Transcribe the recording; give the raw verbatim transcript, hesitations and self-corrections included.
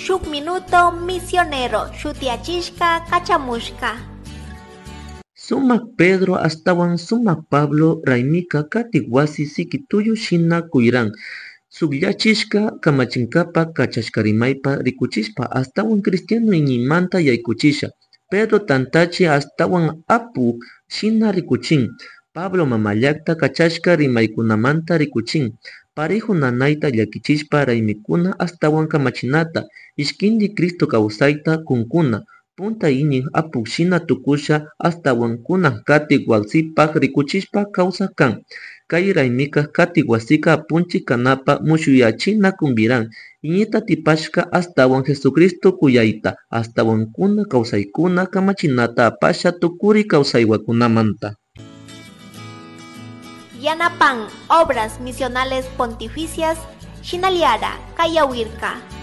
Shuk Minuto Misionero shutiyachishka kachamushka. Sumak Pedro astawan Sumak Pablo raymika katik wasi sikituyu shina kuyran Sukllachishka kamachinkapa kachashkarimaypa rikuchishpa astawan cristiano iñiymanta yaykuchisha. Pedro tantachi astawan apu shina rikuchin. Pablo mamallakta kachashka rimaykunamanta rikuchin. Parejo nanayta llakichishpa raymikuna astawan kamachinata ishkinti Cristo kawsayta kunkuna. Punta iñik apuk shina tukusha astawan kunan katik wasipak rikuchishpa kawsak kan. Kay raymika katik wasika apunchik kanapa mushuyachina kumbiran. Iñita tipashka astawan Jesucristo kuyayta astawan kuna kawsaykuna kamachinata apasha tukuri kawsaywakunamanta. Yanapan Obras Misionales Pontificias Shinaliara Kayawirka.